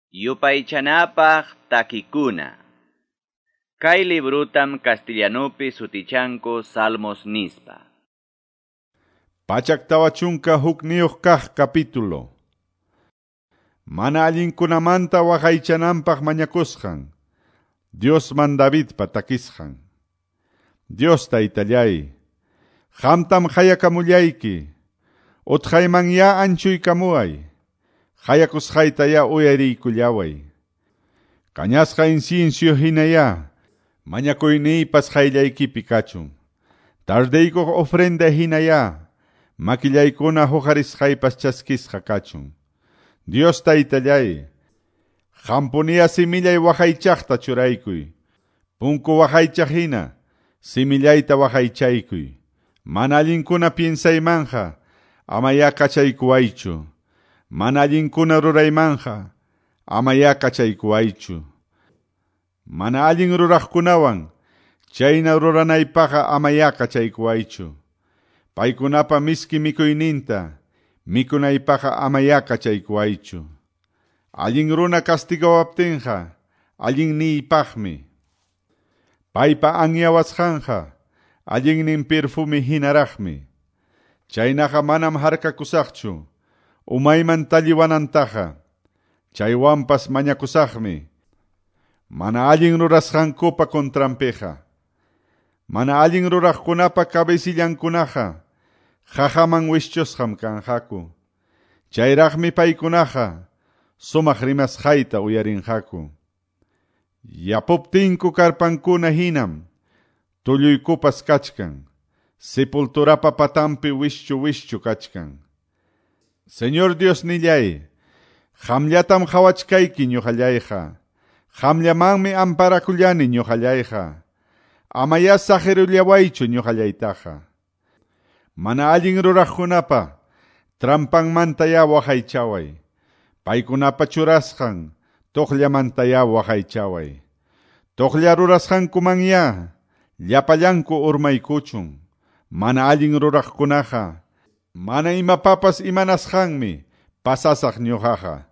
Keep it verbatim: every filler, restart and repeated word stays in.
Yupaychanapaq takikuna. Kay librutam castellanupi sutichanku Salmos nispa. Pachak tawa chunka hukniyuq kaq capítulo. Mana allinkunamanta waqaychananpaq mañakusqan. Diosman Davidpa takisqan. Dios taytallay, qamtam qayakamullayki, utqaymanya anchuykamuway, qayakusqaytaya uyariykullaway. Kañasqa incienso hinaya, mañakuyniypas qayllaykipi kachun. Tardeykuq ofrenda hinaya, makillaykuna huqarisqaypas chaskisqa kachun. Dios taytallay, qampuniya simillay waqaychaqta churaykuy. Punku waqaychaq hina, simillayta waqaychaykuy. Mana allinkuna piensaymanja, amaya kachaykuwaychu. Mana allinkuna ruraymanja, amaya kachaykuwaychu. Mana allin ruraqkunawan, chayna ruranaypaqa amaya kachaykuwaychu. Paykunapa miski mikuyninta, mikunaypaqa amaya kachaykuwaychu. Allin runa castigawaptinqa, allinniypaqmi. Paypa anyawasqanqa, allinnin perfume hinaraqmi. Chaynaqa manam harkakusaqchu, umayman talliwanantaqa, chaywanpas mañakusaqmi. Mana allin rurasqankupa contranpiqa. Mana allin ruraqkunapa cabecillankunaqa, qaqaman wischusqam kanqaku. Chayraqmi paykunaqa, sumaq rimasqayta uyarinqaku. Yapuptinku karpankuna hinam, tulluykupas kachkan, sepulturapa patampi wischu wischu kachkan. Señor Dios nillay, qamllatam qhawachkayki ñuqallayqa, qamllamanmi amparakullani ñuqallayqa, amaya saqirullawaychu ñuqallaytaqa. Mana allin ruraqkunapa trampanmantaya waqaychaway, paykunapa churasqan tuqllamantaya waqaychaway. Tuqlla rurasqankumanya llapallanku urmaykuchun. Mana allin ruraqkunaqa mana imapapas imanasqanmi pasasaq ñuqaqa.